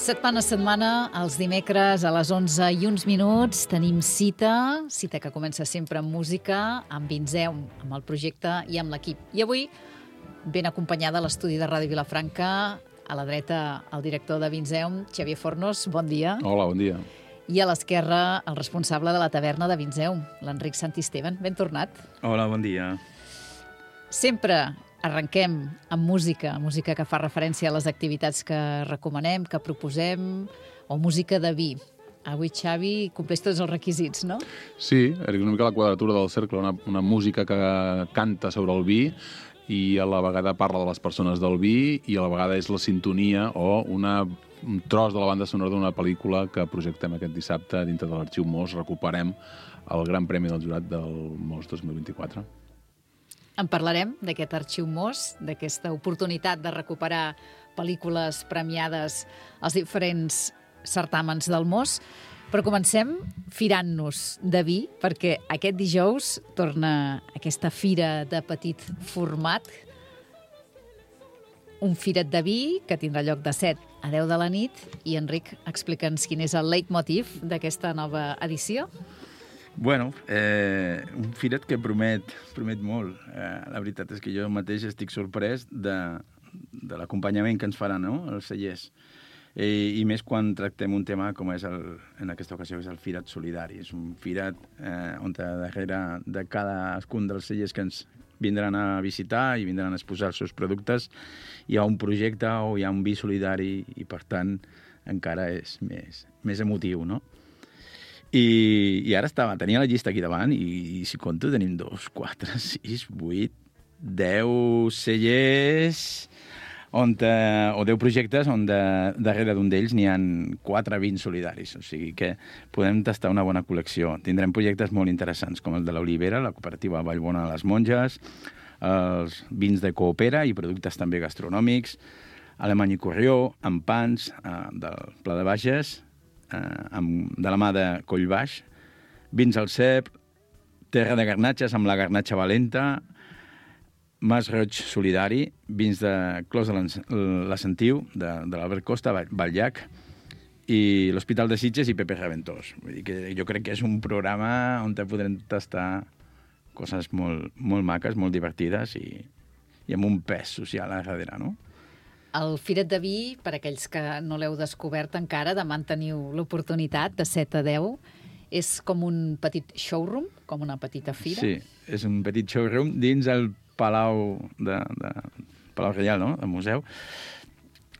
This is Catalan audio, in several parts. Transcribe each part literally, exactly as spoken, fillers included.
Setmana a setmana, els dimecres a les onze i uns minuts, tenim cita, cita que comença sempre amb música, amb Vinzeum, amb el projecte i amb l'equip. I avui, ben acompanyada a l'estudi de Ràdio Vilafranca, a la dreta, el director de Vinzeum, Xavier Fornos, bon dia. Hola, bon dia. I a l'esquerra, el responsable de la taverna de Vinzeum, l'Enric Santisteban. Ben tornat. Hola, bon dia. Sempre arrenquem amb música, música que fa referència a les activitats que recomanem, que proposem, o música de vi. Avui, Xavi, compleix tots els requisits, no? Sí, era una mica la quadratura del cercle, una, una música que canta sobre el vi i a la vegada parla de les persones del vi i a la vegada és la sintonia o una, un tros de la banda sonora d'una pel·lícula que projectem aquest dissabte dintre de l'Arxiu Mos. Recuperem el Gran Premi del Jurat del Mos dos mil vint-i-quatre. En parlarem d'aquest Arxiu Mos, d'aquesta oportunitat de recuperar pel·lícules premiades als diferents certàmens del Mos, però comencem firant-nos de vi, perquè aquest dijous torna aquesta fira de petit format, un firet de vi que tindrà lloc de set a deu de la nit, i Enric, explica'ns quin és el leitmotiv d'aquesta nova edició. Bueno, eh, un firet que promet, promet molt. Eh, la veritat és que jo mateix estic sorprès de, de l'acompanyament que ens faran, no?, els cellers. Eh, I més quan tractem un tema com és, el, en aquesta ocasió, és el firet solidari. És un firet eh, on darrere de cadascun dels cellers que ens vindran a visitar i vindran a exposar els seus productes hi ha un projecte o hi ha un vi solidari i, per tant, encara és més, més emotiu, no? I, i ara estava, tenia la llista aquí davant i, i si compto tenim dos, quatre, sis, vuit, deu cellers on, eh, o deu projectes on de, darrere d'un d'ells n'hi ha quatre vins solidaris. O sigui que podem tastar una bona col·lecció. Tindrem projectes molt interessants com el de l'Olivera, la cooperativa Vallbona de les Monges, els vins de Coopera i productes també gastronòmics, Alemany i Corrió, amb pans eh, del Pla de Bages, Eh, amb, de la mà de Collbaix, vins al cep, terra de garnatges amb la garnatxa valenta, Mas Roig Solidari, vins de Clos de la Sentiu, de, de l'Albert Costa, Batllac, i l'Hospital de Sitges i Pepe Reventós. Vull dir que jo crec que és un programa on podrem tastar coses molt, molt maques, molt divertides i, i amb un pes social a darrere, no? El firet de vi, per aquells que no l'heu descobert encara, demà en teniu l'oportunitat de set a deu. És com un petit showroom, com una petita fira? Sí, és un petit showroom dins el Palau de, de Palau Reial, no?, del museu.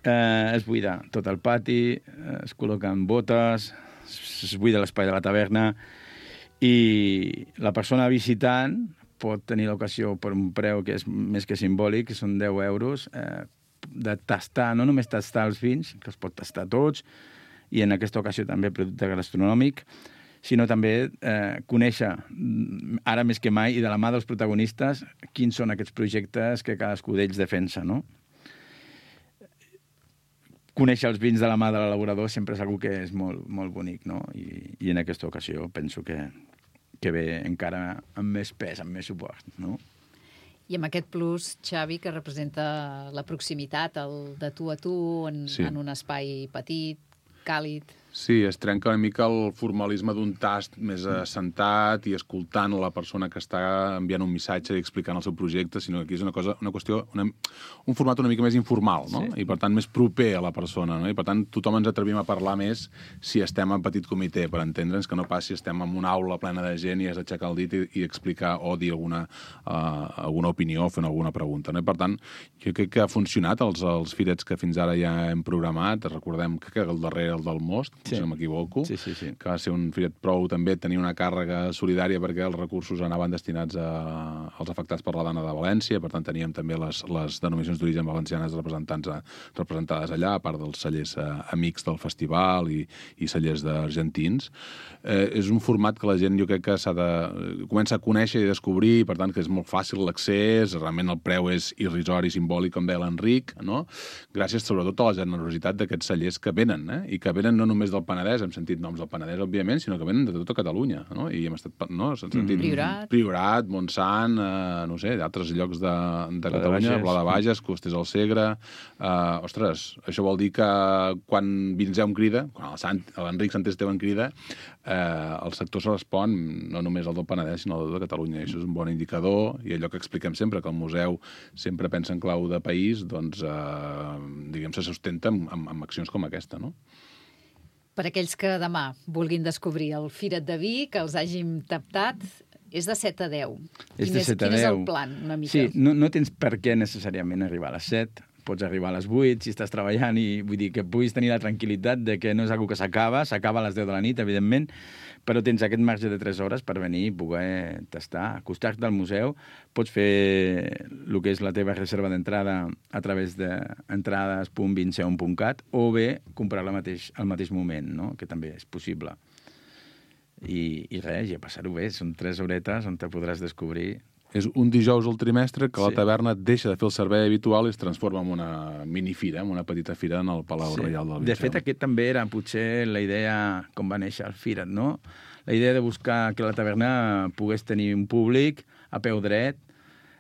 Eh, es buida tot el pati, es col·loquen botes, es buida l'espai de la taverna i la persona visitant pot tenir l'ocasió per un preu que és més que simbòlic, que són deu euros, eh, de tastar, no només tastar els vins, que els pot tastar tots, i en aquesta ocasió també producte gastronòmic, sinó també eh, conèixer, ara més que mai, i de la mà dels protagonistes, quins són aquests projectes que cadascú d'ells defensa, no? conèixer els vins de la mà de l'elaborador sempre és una que és molt, molt bonic, no? I, i en aquesta ocasió penso que, que ve encara amb més pes, amb més suport, no? I amb aquest plus, Xavi, que representa la proximitat, el de tu a tu, en, sí. en un espai petit, càlid... Sí, es trenca una mica el formalisme d'un tast més assentat i escoltant la persona que està enviant un missatge i explicant el seu projecte, sinó que aquí és una cosa, una qüestió, una, un format una mica més informal, no? Sí. I per tant més proper a la persona, no? I per tant tothom ens atrevim a parlar més si estem en petit comitè, per entendre'ns que no passi estem en una aula plena de gent i has d'aixecar el dit i, i explicar o dir alguna, uh, alguna opinió o fer alguna pregunta, no? I per tant, jo crec que ha funcionat els, els firets que fins ara ja hem programat. Recordem que el darrer, el del Most, sí. si no m'equivoco, sí, sí, sí. que va ser un firet prou també tenia una càrrega solidària perquè els recursos anaven destinats a, als afectats per la Dana de València, per tant teníem també les, les denominacions d'origen valencianes representants a, representades allà, a part dels cellers eh, amics del festival i, i cellers d'argentins. Eh, és un format que la gent jo crec que s'ha de... comença a conèixer i descobrir, per tant que és molt fàcil l'accés, realment el preu és irrisori, simbòlic, com deia l'Enric, no? Gràcies sobretot a la generositat d'aquests cellers que venen, eh? I que venen no només del Penedès, hem sentit noms del Penedès, òbviament, sinó que venen de tota Catalunya, no? I hem estat, no? S'han sentit... Mm. Priorat. Priorat, Montsant, eh, no sé, d'altres llocs de, de Catalunya, Pla de Bages, Costers al Segre... Eh, ostres, això vol dir que quan Vinzeu crida, quan l'Enric Sant Esteve crida, eh, el sector se respon, no només el del Penedès, sinó el de Catalunya. I això és un bon indicador, i allò que expliquem sempre, que el museu sempre pensa en clau de país, doncs, eh, diguem, se sustenta amb, amb, amb accions com aquesta, no? Per aquells que demà vulguin descobrir el Firet de Vi, que els hàgim taptat, és de set a deu. És quin de és, set a quin deu. és el plan, una mica? Sí, no, no tens per què necessàriament arribar a les set, pots arribar a les vuit si estàs treballant i vull dir que puguis tenir la tranquil·litat de que no és una que s'acaba, s'acaba a les deu de la nit, evidentment, però tens aquest marge de tres hores per venir i poder tastar. Acostar-te al museu, pots fer el que és la teva reserva d'entrada a través de entrades punt vinceum punt cat o bé comprar-la mateix, al mateix moment, no? Que també és possible. I, i res, i a passar-ho bé. Són tres horetes on te podràs descobrir. És un dijous al trimestre que la Sí. taverna deixa de fer el servei habitual i es transforma en una minifira, en una petita fira en el Palau Sí. Reial del Liceu. De fet, aquest també era potser la idea com va néixer el Firet, no? La idea de buscar que la taverna pogués tenir un públic a peu dret,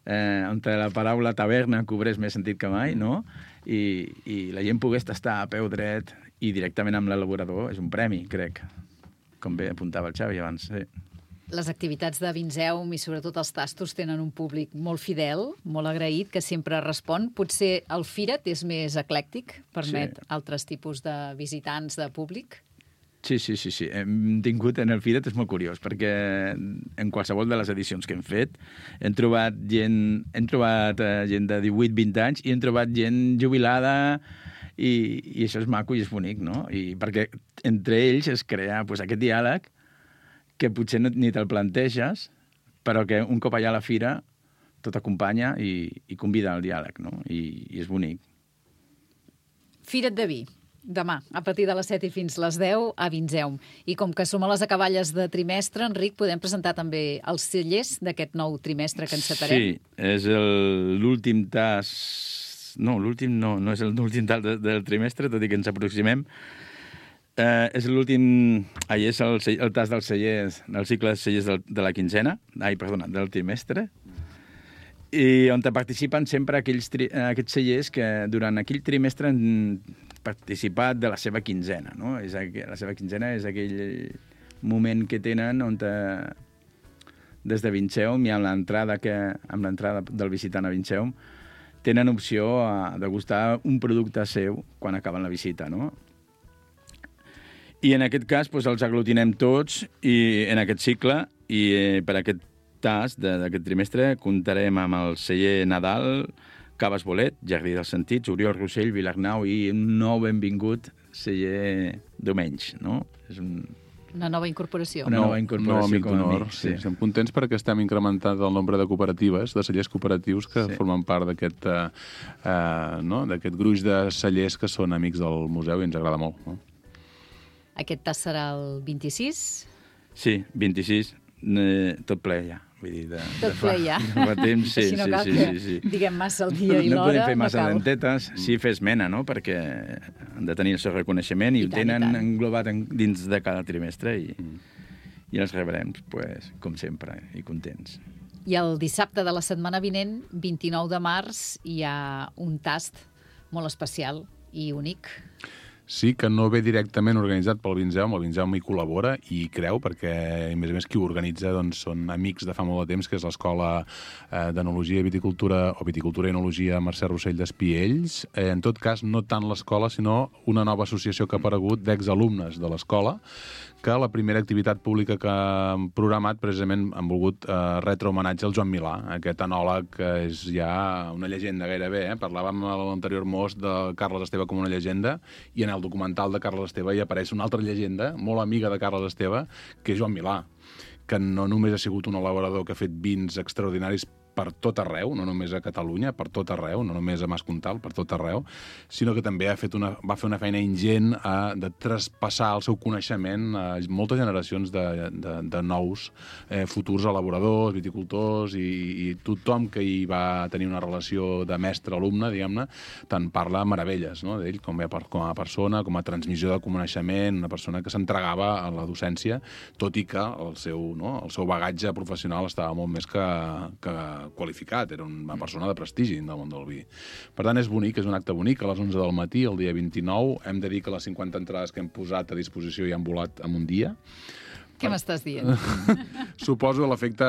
eh, on la paraula taverna cobrés més sentit que mai, no? I, i la gent pogués tastar a peu dret i directament amb l'elaborador. És un premi, crec, com bé apuntava el Xavi abans, sí. Les activitats de Vinzeum i sobretot els tastos tenen un públic molt fidel, molt agraït, que sempre respon. Potser el Firet és més eclèctic, permet sí. altres tipus de visitants, de públic? Sí, sí, sí, sí. Hem tingut en el Firet, és molt curiós, perquè en qualsevol de les edicions que hem fet hem trobat gent, hem trobat eh, gent de divuit vint anys i hem trobat gent jubilada i, i això és maco i és bonic, no? I perquè entre ells es crea pues, aquest diàleg que potser no, ni te'l planteges, però que un cop allà a la fira tot acompanya i, i convida al diàleg, no? I, i és bonic. Firet de Vi, demà, a partir de les set i fins les deu, a Vinzeum. I com que som a les acaballes de trimestre, Enric, podem presentar també els cellers d'aquest nou trimestre que encetarem? Sí, és el- l'últim tas... No, l'últim no, no és l'últim tas de, del trimestre, tot i que ens aproximem. Eh, és l'últim... Ahir és el, el tas dels cellers, del cicle de cellers del, de la quinzena, ai, perdona, del trimestre, i on participen sempre aquells, tri, aquests cellers que durant aquell trimestre han participat de la seva quinzena, no? És, la seva quinzena és aquell moment que tenen on te, des de Vinceum i amb l'entrada que amb l'entrada del visitant a Vinceum tenen opció a degustar un producte seu quan acaben la visita, no? I en aquest cas doncs, els aglutinem tots i en aquest cicle i eh, per aquest tas d'aquest trimestre comptarem amb el celler Nadal, Caves Bolet, Jardí dels Sentits, Oriol Rossell, Vilarnau i un nou benvingut celler Domenys, no? És un... Una nova incorporació. Una nova incorporació no, amic com a d'honor, amic, sí. sí. Estem contents perquè estem incrementant el nombre de cooperatives, de cellers cooperatius que Sí. formen part d'aquest uh, uh, no? d'aquest gruix de cellers que són amics del museu i ens agrada molt. No? Aquest tas serà el vint-i-sis. Sí, vint-i-sis, eh, tot ple ja. Vull dir, de, Tot ple ja. De fa temps, sí, Així no sí, cal sí, que sí, sí. diguem massa el dia i no l'hora. podem fer massa no cal. dentetes, sí fer esmena, no? Perquè han de tenir el seu reconeixement i, I ho tant, i tenen tant. englobat en, dins de cada trimestre i, i els rebrem, pues, com sempre, i contents. I el dissabte de la setmana vinent, vint-i-nou de març, hi ha un tast molt especial i únic. Sí, que no ve directament organitzat pel Vinzeume, el Vinzeume hi col·labora i hi creu, perquè, a més a més, qui ho organitza doncs, són amics de fa molt de temps, que és l'Escola eh, d'Enologia i Viticultura, o Viticultura i Enologia Mercè Rossell d'Espiells. Eh, en tot cas, no tant l'escola, sinó una nova associació que ha aparegut d'exalumnes de l'escola, que la primera activitat pública que han programat precisament han volgut eh, retre homenatge al Joan Milà, aquest enòleg que és ja una llegenda gairebé. Eh? Parlàvem a l'anterior mos de Carles Esteve com una llegenda, i en el documental de Carles Esteve hi apareix una altra llegenda, molt amiga de Carles Esteve, que és Joan Milà, que no només ha sigut un elaborador que ha fet vins extraordinaris per tot arreu, no només a Catalunya, per tot arreu, no només a Mascontal, per tot arreu, sinó que també ha fet una, va fer una feina ingent a, de traspassar el seu coneixement a moltes generacions de, de, de nous eh, futurs elaboradors, viticultors, i, i tothom que hi va tenir una relació de mestre-alumne, diguem-ne, tant parla meravelles, no?, d'ell com a, com a persona, com a transmissió de coneixement, una persona que s'entregava a la docència, tot i que el seu, no, el seu bagatge professional estava molt més que, que qualificat, era una persona de prestigi del món del vi. Per tant, és bonic, és un acte bonic, a les onze del matí, el dia vint-i-nou. Hem de dir que les cinquanta entrades que hem posat a disposició ja han volat en un dia. Què m'estàs dient? Suposo l'efecte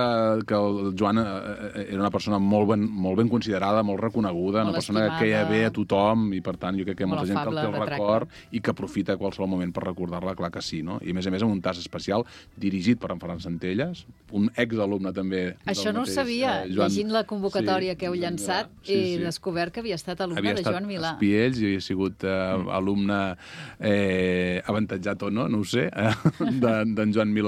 que el Joan era una persona molt ben, molt ben considerada, molt reconeguda, molt una persona estimada, que queia bé a tothom, i per tant jo crec que molt molta gent que el té el record tracte. i que aprofita qualsevol moment per recordar-la, clar que sí, no? I a més a més amb un tas especial dirigit per en Ferran Centelles, un exalumne també. Això no ho mateix, sabia. eh, Joan... Llegint la convocatòria sí, que heu llançat, sí, he sí. descobert que havia estat alumne havia de Joan Milà. Havia estat Espiells i havia sigut eh, mm. alumne eh, avantatjat o no, no ho sé, eh, d'en de, Joan Milà,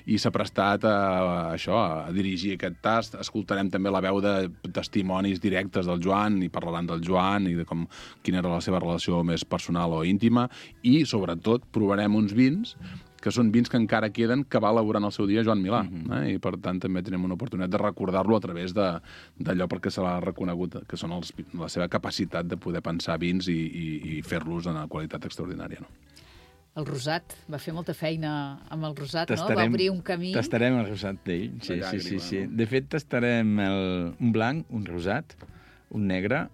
i s'ha prestat a, a això, a dirigir aquest tast. Escoltarem també la veu de testimonis directes del Joan, i parlaran del Joan i de com, quina era la seva relació més personal o íntima, i sobretot provarem uns vins que són vins que encara queden, que va elaborar en el seu dia Joan Milà. Mm-hmm. eh? I, per tant, també tenim una oportunitat de recordar-lo a través d'allò perquè se l'ha reconegut, que són els, la seva capacitat de poder pensar vins i, i, i fer-los en una qualitat extraordinària. No? El rosat, va fer molta feina amb el rosat, no? Va obrir un camí. Tastarem el rosat d'ell, sí, sí, sí, sí. De fet, tastarem el, un blanc, un rosat, un negre,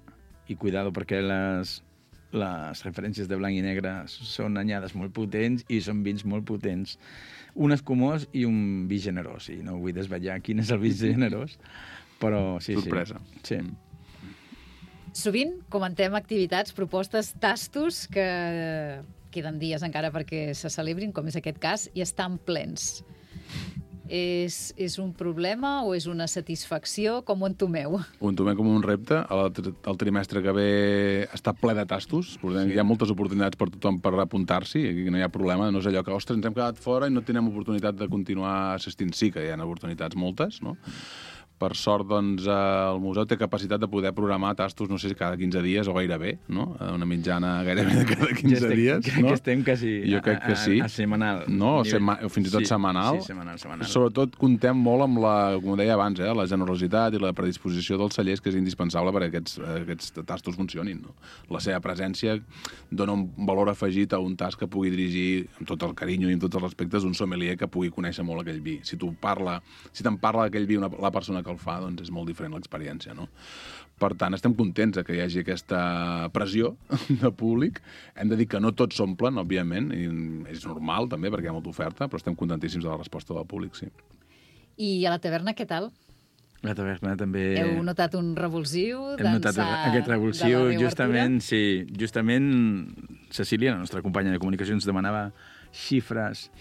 i cuidado perquè les... les referències de blanc i negre són anyades molt potents i són vins molt potents. Un escumós i un vi generós. I no vull desvetllar quin és el vi generós, però sí, sorpresa. Sí. sí. Sovint comentem activitats, propostes, tastos que queden dies encara perquè se celebrin, com és aquest cas, i estan plens. És, és un problema o és una satisfacció? Com ho entomeu? Ho entomem com un repte. El, el trimestre que ve està ple de tastos. Sí. Hi ha moltes oportunitats per tothom per apuntar-s'hi. Aquí no hi ha problema. No és allò que, ostres, ens hem quedat fora i no tenim oportunitat de continuar assistint. Sí que hi ha oportunitats moltes, no? Per sort, doncs, el museu té capacitat de poder programar tastos, no sé si cada quinze dies o gairebé, no? Una mitjana gairebé de cada quinze ja estem, dies. Crec no? que estem quasi jo crec que sí. a, a, a setmanal. No, o, sema, o fins i tot sí, setmanal. Sí, setmanal, setmanal. Sobretot contem molt amb la, com deia abans, eh, la generositat i la predisposició dels cellers, que és indispensable perquè aquests, aquests tastos funcionin. No? La seva presència dona un valor afegit a un tast que pugui dirigir amb tot el carinyo i amb tots els respectes un sommelier que pugui conèixer molt aquell vi. Si tu parla, si te'n parla d'aquell vi una, la persona que el fa, doncs és molt diferent l'experiència, no? Per tant, estem contents que hi hagi aquesta pressió de públic. Hem de dir que no tots s'omplen, òbviament, i és normal també, perquè hi ha molta oferta, però estem contentíssims de la resposta del públic, sí. I a la taverna, què tal? La taverna també... Heu notat un revulsiu? Hem notat aquest revulsiu, justament, sí, justament Cecília, la nostra companya de comunicació, ens demanava xifres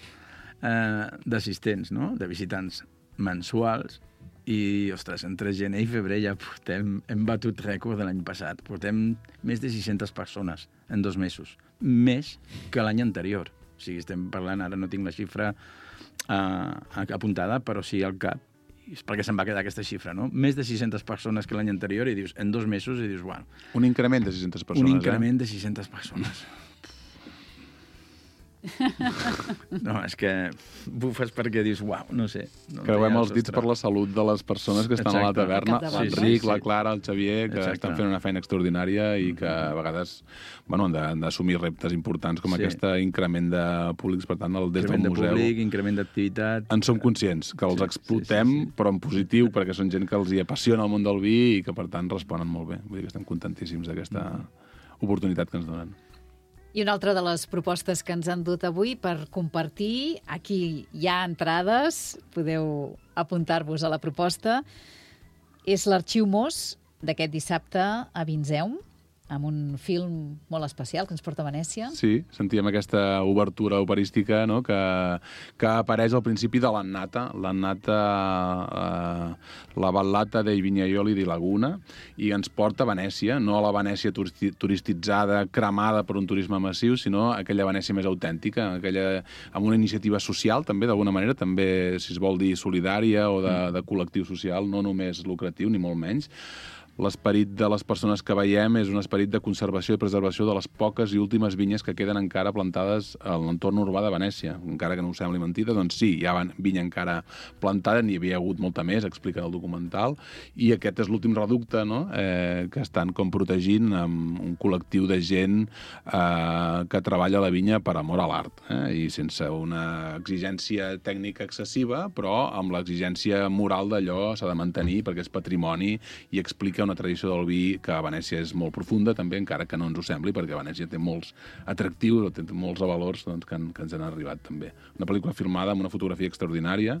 eh, d'assistents, no?, de visitants mensuals. I, ostres, entre gener i febrer ja portem, hem batut rècord de l'any passat. Portem més de sis-centes persones en dos mesos. Més que l'any anterior. O sigui, estem parlant, ara no tinc la xifra uh, apuntada, però sí al cap. És perquè se'n va quedar aquesta xifra, no? Més de sis-centes persones que l'any anterior, i dius, en dos mesos, i dius, bueno... Un increment de sis-centes persones, Un increment eh? de sis-centes persones. No, és que bufes perquè dius, uau, no sé. No Creuem els dits per la salut de les persones que estan Exacte. a la taverna, Sí, l'Enric, sí, la sí. Clara, el Xavier, que Exacte. estan fent una feina extraordinària i que a vegades bueno, han de- han d'assumir reptes importants com Sí. aquest increment de públics. Per tant, el, des Increment del de museu públic, increment d'activitat... en som conscients, que els Sí, explotem, sí, sí, sí. però en positiu, perquè són gent que els hi apassiona el món del vi i que, per tant, responen molt bé. Vull dir que estem contentíssims d'aquesta oportunitat que ens donen. I una altra de les propostes que ens han dut avui per compartir, aquí hi ha entrades, podeu apuntar-vos a la proposta, és l'Arxiu Mos d'aquest dissabte a Vinzeum, amb un film molt especial que ens porta a Venècia. Sí, sentíem aquesta obertura operística, no?, que, que apareix al principi de l'Annata, l'Annata, eh, la ballata dei Vignaioli di Laguna, i ens porta a Venècia, no a la Venècia turisti turistitzada, cremada per un turisme massiu, sinó aquella Venècia més autèntica, aquella, amb una iniciativa social, també, d'alguna manera, també, si es vol dir, solidària o de, de col·lectiu social, no només lucratiu, ni molt menys. L'esperit de les persones que veiem és un esperit de conservació i preservació de les poques i últimes vinyes que queden encara plantades a l'entorn urbà de Venècia. Encara que no ho sembli mentida, doncs sí, hi ha vinya encara plantada, n'hi havia hagut molta més, explica el documental, i aquest és l'últim reducte, no?, eh, que estan com protegint amb un col·lectiu de gent eh, que treballa la vinya per amor a l'art, eh, i sense una exigència tècnica excessiva, però amb l'exigència moral d'allò s'ha de mantenir perquè és patrimoni i explica una tradició del vi que a Venècia és molt profunda, també, encara que no ens ho sembli, perquè Venècia té molts atractius, té molts valors doncs, que, han, que ens han arribat també. Una pel·lícula filmada amb una fotografia extraordinària,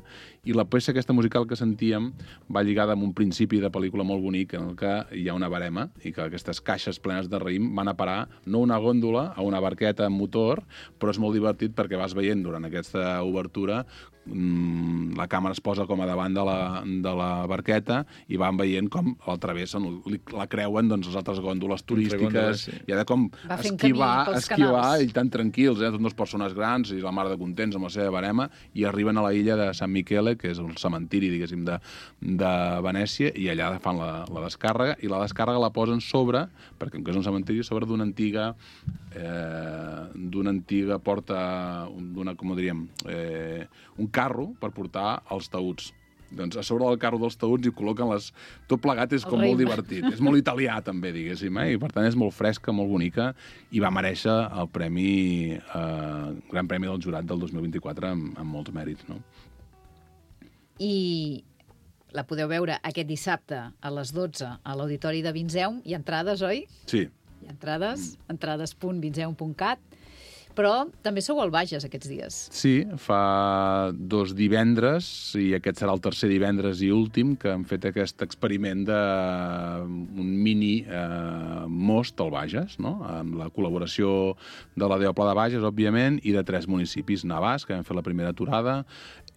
i la peça aquesta musical que sentíem va lligada amb un principi de pel·lícula molt bonic en el que hi ha una barema i que aquestes caixes plenes de raïm van a parar no una gòndola, a una barqueta amb motor, però és molt divertit perquè vas veient durant aquesta obertura la càmera es posa com a davant de la, de la barqueta i van veient com al través la creuen doncs, les altres gòndoles turístiques gòndoles, sí. i ha de com Va fent esquivar, camí pels esquivar canals. i tan tranquils, eh? Són dues persones grans i la mar de contents amb la seva barema i arriben a la illa de San Michele, que és el cementiri, diguéssim, de, de Venècia, i allà fan la, la descàrrega, i la descàrrega la posen sobre, perquè com que és un cementiri, sobre d'una antiga eh, d'una antiga porta, d'una, com ho diríem, eh, un carro per portar els taüts. Doncs a sobre del carro dels taüts hi col·loquen les... Tot plegat és El com raïm. molt divertit. És molt italià, també, diguéssim, eh? I per tant és molt fresca, molt bonica, i va merèixer el premi, eh, Gran Premi del Jurat del dos mil vint-i-quatre amb, amb molts mèrits, no? I la podeu veure aquest dissabte a les dotze a l'Auditori de Vinzeum. Hi ha entrades, oi? Sí. Hi ha entrades, entrades punt vinzeum punt cat. Però també sou al Bages aquests dies. Sí, fa dos divendres, i aquest serà el tercer divendres i últim, que hem fet aquest experiment d'un mini eh, most al Bages, no?, amb la col·laboració de la D O Pla de Bages, òbviament, i de tres municipis: Navàs, que vam fer la primera aturada,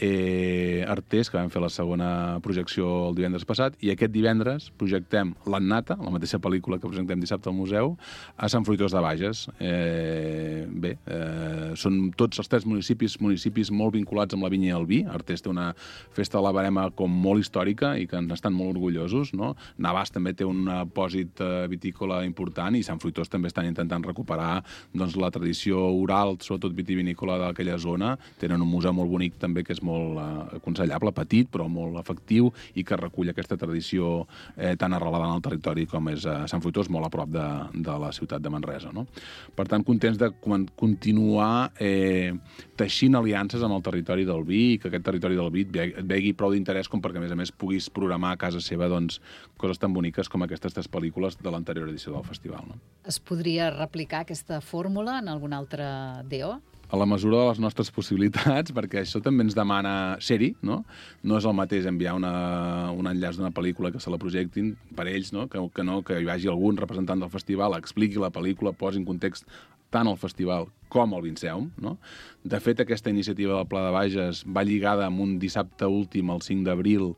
eh, Artés, que vam fer la segona projecció el divendres passat, i aquest divendres projectem l'Annata, la mateixa pel·lícula que presentem dissabte al museu, a Sant Fruitós de Bages. Eh, bé, eh, són tots els tres municipis municipis molt vinculats amb la vinya i el vi. Artés té una festa de la barema com molt històrica i que ens estan molt orgullosos, no? Navàs també té un pòsit eh, vitícola important, i Sant Fruitós també estan intentant recuperar doncs, la tradició oral, sobretot vitivinícola d'aquella zona. Tenen un museu molt bonic també, que és molt eh, aconsellable, petit, però molt efectiu, i que recull aquesta tradició eh, tan arrelada en el territori com és eh, Sant Fruitós, molt a prop de, de la ciutat de Manresa, no? Per tant, contents de continuar eh, teixint aliances amb el territori del vi, i que aquest territori del vi et vegi prou d'interès com perquè, a més a més, puguis programar a casa seva doncs, coses tan boniques com aquestes tres pel·lícules de l'anterior edició del festival, no? Es podria replicar aquesta fórmula en algun altre D O? A la mesura de les nostres possibilitats, perquè això també ens demana ser-hi, no? No és el mateix enviar una, un enllaç d'una pel·lícula que se la projectin per ells, no? Que, que no, que hi vagi algun representant del festival, expliqui la pel·lícula, posi en context tant el festival com el Vinzeum, no? De fet, aquesta iniciativa del Pla de Bages va lligada amb un dissabte últim, el cinc d'abril,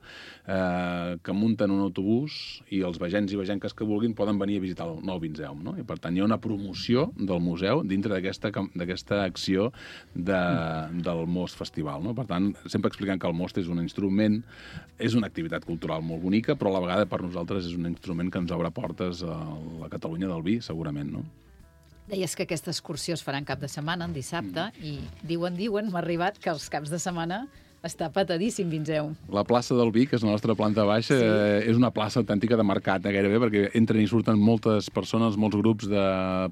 eh, que munten un autobús i els vegens i vegenques que vulguin poden venir a visitar el nou Vinzeum, no? I per tant hi ha una promoció del museu dintre d'aquesta d'aquesta acció de, del Most Festival, no? Per tant, sempre explicant que el Most és un instrument, és una activitat cultural molt bonica, però a la vegada per nosaltres és un instrument que ens obre portes a la Catalunya del vi, segurament, no? Deies que aquesta excursió es farà en cap de setmana, en dissabte, mm. i diuen, diuen, m'ha arribat que els caps de setmana està petadíssim, Vinzeu. La plaça del Vi, que és la nostra planta baixa, sí. eh, és una plaça autèntica de mercat, eh, gairebé, perquè entren i surten moltes persones, molts grups de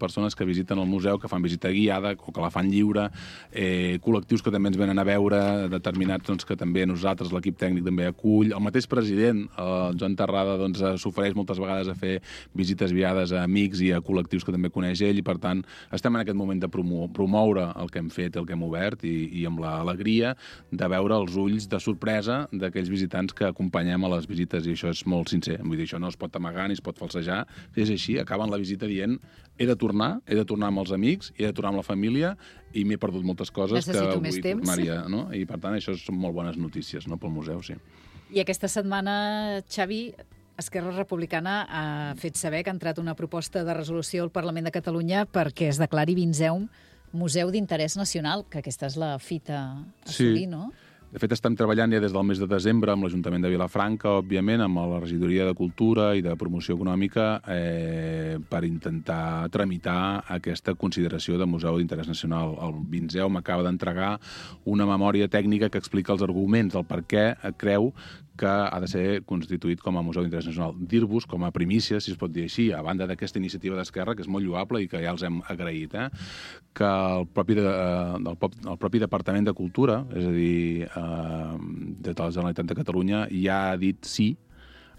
persones que visiten el museu, que fan visita guiada o que la fan lliure, eh, col·lectius que també ens venen a veure, determinats doncs, que també nosaltres, l'equip tècnic, també acull. El mateix president, el Joan Terrada, doncs, s'ofereix moltes vegades a fer visites guiades a amics i a col·lectius que també coneix ell, i per tant estem en aquest moment de promo promoure el que hem fet, el que hem obert, i, i amb l'alegria de veure els ulls de sorpresa d'aquells visitants que acompanyem a les visites, i això és molt sincer. Vull dir, això no es pot amagar ni es pot falsejar. És així, acaben la visita dient he de tornar, he de tornar amb els amics, he de tornar amb la família, i m'he perdut moltes coses Necessito que més vull temps. tornar-hi. No? I per tant, això són molt bones notícies, no?, pel museu, sí. I aquesta setmana, Xavi, Esquerra Republicana ha fet saber que ha entrat una proposta de resolució al Parlament de Catalunya perquè es declari Vinzeum Museu d'Interès Nacional, que aquesta és la fita a assolir, Sí. no? De fet, estem treballant ja des del mes de desembre amb l'Ajuntament de Vilafranca, òbviament, amb la Regidoria de Cultura i de Promoció Econòmica, eh, per intentar tramitar aquesta consideració de Museu d'Interès Nacional. El Vinzeu m'acaba d'entregar una memòria tècnica que explica els arguments del per què creu que ha de ser constituït com a Museu d'Interès Nacional. Dir-vos, com a primícia, si es pot dir així, a banda d'aquesta iniciativa d'Esquerra, que és molt lloable i que ja els hem agraït, eh, que el propi, de, del, el propi Departament de Cultura, és a dir, eh, de la Generalitat de Catalunya, ja ha dit sí,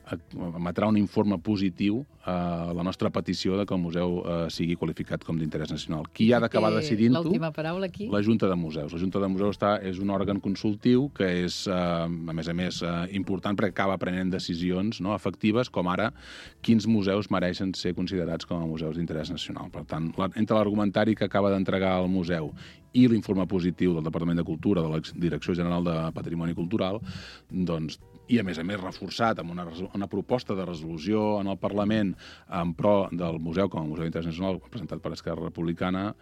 emetrà un informe positiu a la nostra petició de que el museu eh, sigui qualificat com d'interès nacional. Qui ha d'acabar decidint-ho? L'última paraula aquí? La Junta de Museus. La Junta de Museus està, és un òrgan consultiu que és, eh, a més a més, eh, important perquè acaba prenent decisions, no?, efectives, com ara quins museus mereixen ser considerats com a museus d'interès nacional. Per tant, la, entre l'argumentari que acaba d'entregar el museu i l'informe positiu del Departament de Cultura, de la Direcció General de Patrimoni Cultural, doncs, i a més a més reforçat amb una, una proposta de resolució en el Parlament en pro del museu com a Museu d'Interès Nacional presentat per Esquerra Republicana,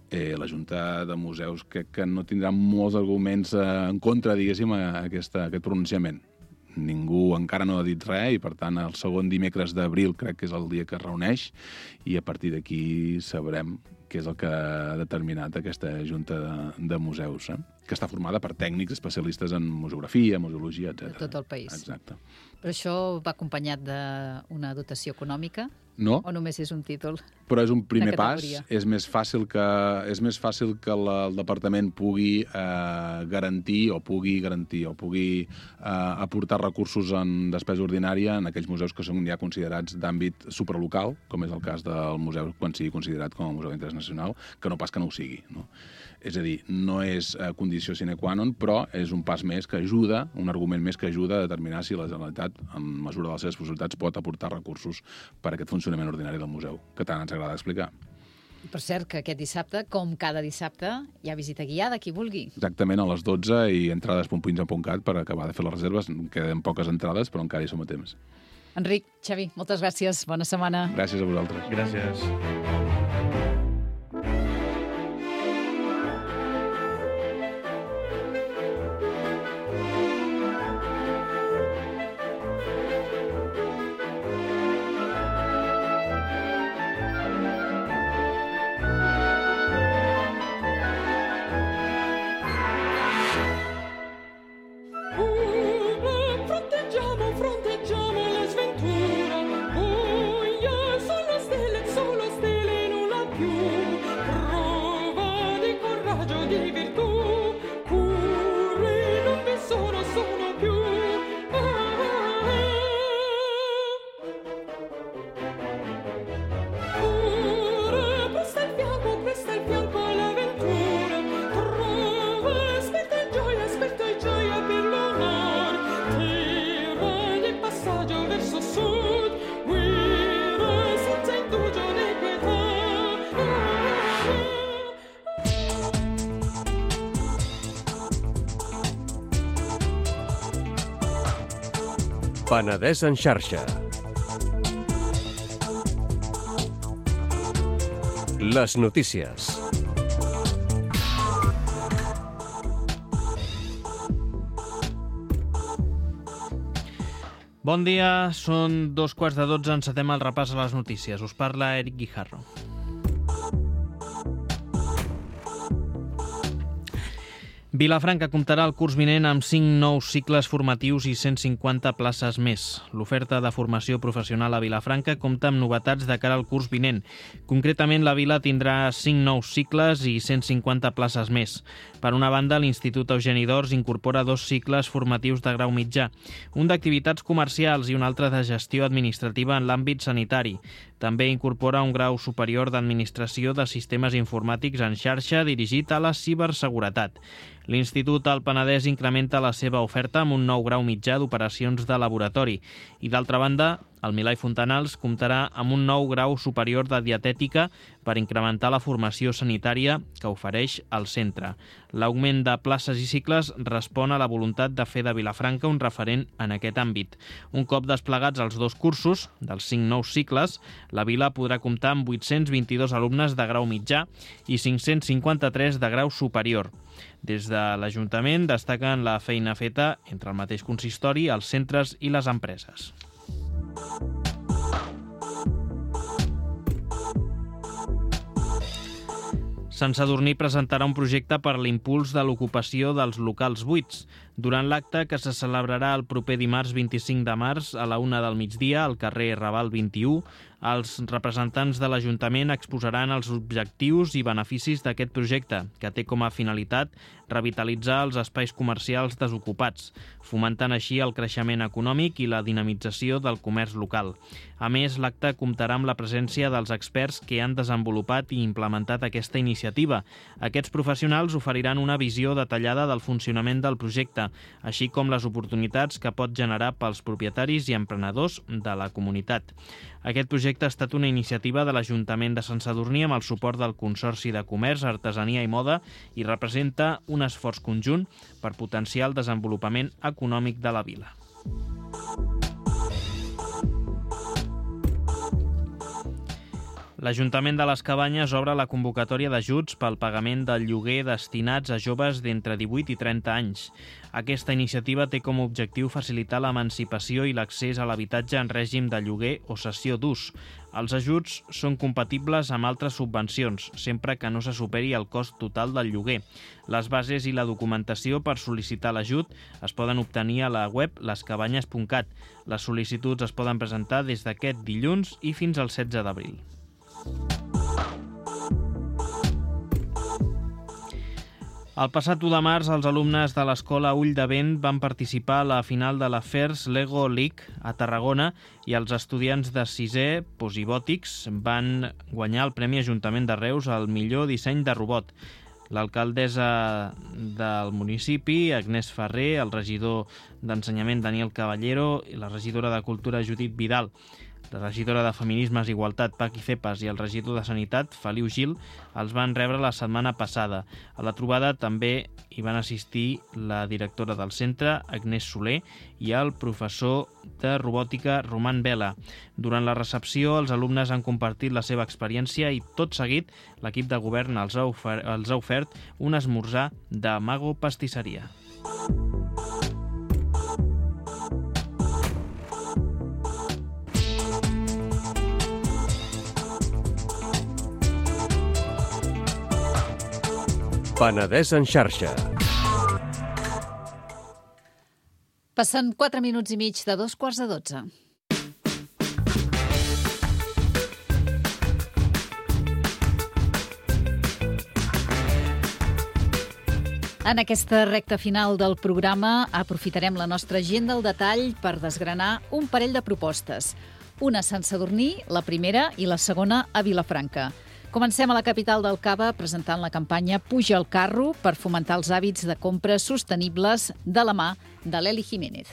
eh, la Junta de Museus crec que no tindrà molts arguments eh, en contra, diguéssim, a aquesta, a aquest pronunciament. Ningú encara no ha dit res i, per tant, el segon dimecres d'abril crec que és el dia que es reuneix i a partir d'aquí sabrem què és el que ha determinat aquesta Junta de, de Museus, eh? que està formada per tècnics especialistes en museografia, museologia, etcètera. De tot el país. Exacte. Però això va acompanyat d'una dotació econòmica? No. O només és un títol? Però és un primer pas. És més fàcil que, és més fàcil que la, el departament pugui eh, garantir o pugui garantir o pugui eh, aportar recursos en despesa ordinària en aquells museus que són ja considerats d'àmbit supralocal, com és el cas del museu quan sigui considerat com a museu d'interès nacional, que no pas que no ho sigui, no? És a dir, no és eh, condició sine qua non, però és un pas més que ajuda, un argument més que ajuda a determinar si la Generalitat, en mesura de les seves possibilitats, pot aportar recursos per a aquest funcionament ordinari del museu, que tant ens agrada explicar. I per cert, que aquest dissabte, com cada dissabte, hi ha visita guiada, qui vulgui. Exactament, a les dotze i entrades punt pins punt cat per acabar de fer les reserves. Queden poques entrades, però encara hi som a temps. Enric, Xavi, moltes gràcies. Bona setmana. Gràcies a vosaltres. Gràcies. Penedès en xarxa. Les notícies. Bon dia, són dos quarts de dotze, encetem el repàs a les notícies. Us parla Eric Guijarro. Vilafranca comptarà el curs vinent amb cinc nous cicles formatius i cent cinquanta places més. L'oferta de formació professional a Vilafranca compta amb novetats de cara al curs vinent. Concretament, la vila tindrà cinc nous cicles i cent cinquanta places més. Per una banda, l'Institut Eugeni d'Ors incorpora dos cicles formatius de grau mitjà, un d'activitats comercials i un altre de gestió administrativa en l'àmbit sanitari. També incorpora un grau superior d'administració de sistemes informàtics en xarxa dirigit a la ciberseguretat. L'Institut Alt Penedès incrementa la seva oferta amb un nou grau mitjà d'operacions de laboratori i, d'altra banda, el Milà i Fontanals comptarà amb un nou grau superior de dietètica per incrementar la formació sanitària que ofereix el centre. L'augment de places i cicles respon a la voluntat de fer de Vilafranca un referent en aquest àmbit. Un cop desplegats els dos cursos, dels cinc nous cicles, la vila podrà comptar amb vuit-cents vint-i-dos alumnes de grau mitjà i cinc-cents cinquanta-tres de grau superior. Des de l'Ajuntament destaquen la feina feta entre el mateix consistori, els centres i les empreses. Sant Sadurní presentarà un projecte per l'impuls de l'ocupació dels locals buits. Durant l'acte, que se celebrarà el proper dimarts vint-i-cinc de març a la una del migdia al carrer Raval vint-i-u, els representants de l'Ajuntament exposaran els objectius i beneficis d'aquest projecte, que té com a finalitat revitalitzar els espais comercials desocupats, fomentant així el creixement econòmic i la dinamització del comerç local. A més, l'acte comptarà amb la presència dels experts que han desenvolupat i implementat aquesta iniciativa. Aquests professionals oferiran una visió detallada del funcionament del projecte, així com les oportunitats que pot generar pels propietaris i emprenedors de la comunitat. Aquest projecte ha estat una iniciativa de l'Ajuntament de Sant Sadurní amb el suport del Consorci de Comerç, Artesania i Moda i representa un esforç conjunt per potenciar el desenvolupament econòmic de la vila. L'Ajuntament de les Cabanyes obre la convocatòria d'ajuts pel pagament del lloguer destinats a joves d'entre divuit i trenta anys. Aquesta iniciativa té com a objectiu facilitar l'emancipació i l'accés a l'habitatge en règim de lloguer o cessió d'ús. Els ajuts són compatibles amb altres subvencions, sempre que no se superi el cost total del lloguer. Les bases i la documentació per sol·licitar l'ajut es poden obtenir a la web les cabanyes punt cat. Les sol·licituds es poden presentar des d'aquest dilluns i fins al setze d'abril. El passat u de març, els alumnes de l'Escola Ull de Vent van participar a la final de la FIRST Lego League a Tarragona i els estudiants de sisè, Posibòtics, van guanyar el Premi Ajuntament de Reus al millor disseny de robot. L'alcaldessa del municipi, Agnès Ferrer, el regidor d'Ensenyament, Daniel Caballero, i la regidora de Cultura, Judit Vidal, la regidora de Feminismes i Igualtat, Paqui Cepas, i el regidor de Sanitat, Feliu Gil, els van rebre la setmana passada. A la trobada també hi van assistir la directora del centre, Agnès Soler, i el professor de robòtica, Roman Vela. Durant la recepció, els alumnes han compartit la seva experiència i, tot seguit, l'equip de govern els ha ofert, els ha ofert un esmorzar de Mago Pastisseria. Penedès en xarxa. Passen quatre minuts i mig de dos quarts de dotze. En aquesta recta final del programa aprofitarem la nostra agenda al detall per desgranar un parell de propostes. Una a Sant Sadurní, la primera, i la segona a Vilafranca. Comencem a la capital del Cava presentant la campanya Puja al carro per fomentar els hàbits de compres sostenibles de la mà de l'Eli Jiménez.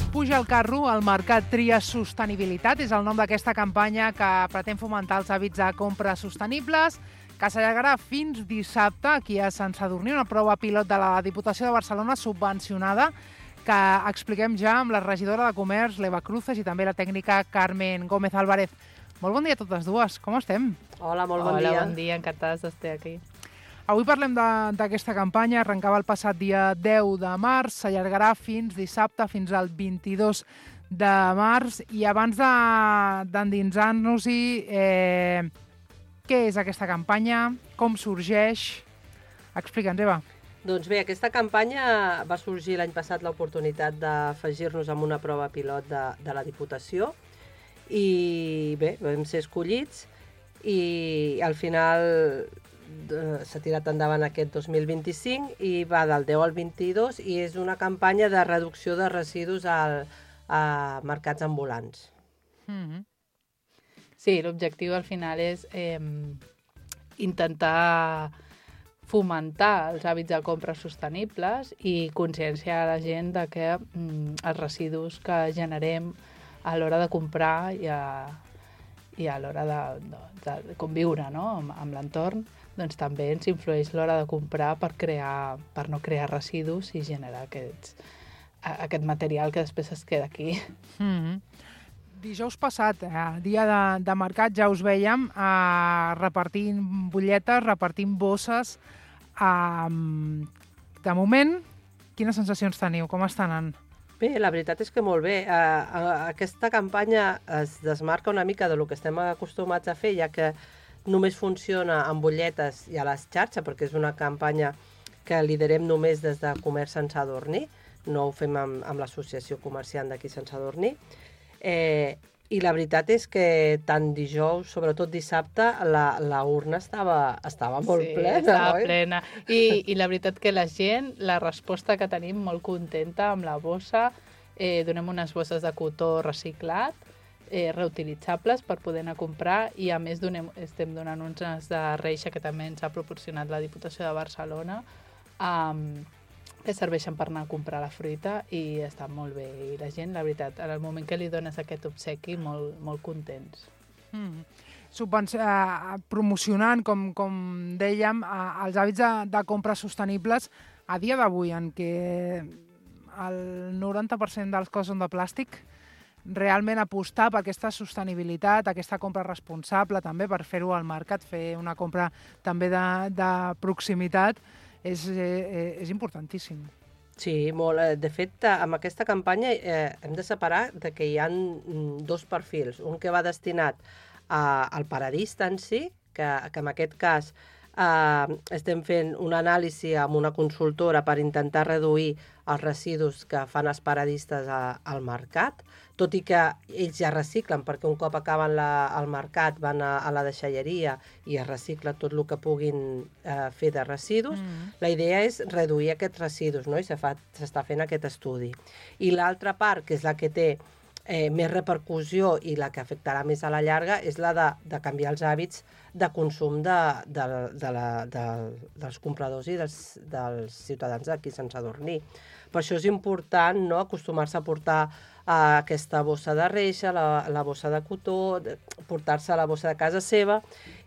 Puja al carro, el mercat tria sostenibilitat, és el nom d'aquesta campanya que pretén fomentar els hàbits de compres sostenibles, que s'allargarà fins dissabte aquí a Sant Sadurní, una prova pilot de la Diputació de Barcelona subvencionada, que expliquem ja amb la regidora de Comerç, l'Eva Cruces, i també la tècnica Carmen Gómez Álvarez. Molt bon dia a totes dues, com estem? Hola, molt bon Hola, dia. Hola, bon dia, encantats d'estar aquí. Avui parlem d'aquesta campanya, arrencava el passat dia deu de març, s'allargarà fins dissabte, fins al vint-i-dos de març, i abans d'endinsar-nos-hi, eh, Què és aquesta campanya? Com sorgeix? Explica'ns, Eva. Doncs bé, aquesta campanya va sorgir l'any passat l'oportunitat d'afegir-nos amb una prova pilot de, de la Diputació i bé, vam ser escollits i al final eh, s'ha tirat endavant aquest dos mil vint-i-cinc i va del deu al vint-i-dos i és una campanya de reducció de residus al, a mercats ambulants. Mm-hmm. Sí, l'objectiu al final és eh, intentar fomentar els hàbits de compra sostenibles i conscienciar a la gent de que mm, els residus que generem a l'hora de comprar i a, i a l'hora de, de, de conviure, no? amb, amb l'entorn, doncs també ens influeix l'hora de comprar per, crear, per no crear residus i generar aquests, aquest material que després es queda aquí. Mm-hmm. Dijous passat, eh, dia de, de mercat, ja us veiem eh, repartint butlletes, repartint bosses. Eh, de moment, quines sensacions teniu? Com estan anant? Bé, la veritat és que molt bé. Uh, aquesta campanya es desmarca una mica del que estem acostumats a fer, ja que només funciona amb butlletes i a les xarxes, perquè és una campanya que liderem només des de Comerç Sant Sadurní, no ho fem amb, amb l'associació comerciant d'aquí Sant Sadurní. Eh, I la veritat és que tant dijous, sobretot dissabte, la, la urna estava, estava molt sí, plena, estava oi? plena. I, I la veritat que la gent, la resposta que tenim molt contenta amb la bossa, eh, donem unes bosses de cotó reciclat, eh, reutilitzables per poder anar a comprar i a més donem, estem donant unes de reixa que també ens ha proporcionat la Diputació de Barcelona, um, que serveixen per anar a comprar la fruita i està molt bé. I la gent, la veritat, en el moment que li dones aquest obsequi, molt, molt contents. Mm. Subvenci- eh, promocionant, com, com dèiem, eh, els hàbits de, de compra sostenibles a dia d'avui, en què el noranta per cent dels coses són de plàstic, realment apostar per aquesta sostenibilitat, aquesta compra responsable, també per fer-ho al mercat, fer una compra també de, de proximitat, és, eh, és importantíssim. Sí, molt. De fet, amb aquesta campanya eh, hem de separar de que hi ha dos perfils. Un que va destinat a, al paradista en si, que, que en aquest cas eh, estem fent una anàlisi amb una consultora per intentar reduir els residus que fan els paradistes a, al mercat, tot i que ells ja reciclen, perquè un cop acaben la, al mercat van a, a la deixalleria i es recicla tot el que puguin eh, fer de residus. Mm. La idea és reduir aquests residus, no? I s'està fent aquest estudi. I l'altra part, que és la que té eh, més repercussió i la que afectarà més a la llarga, és la de, de canviar els hàbits de consum de, de, de la, de, dels compradors i dels, dels ciutadans d'aquí Sant Sadurní. Per això és important, no?, acostumar-se a portar uh, aquesta bossa de reixa, la, la bossa de cotó, de, portar-se la bossa de casa seva,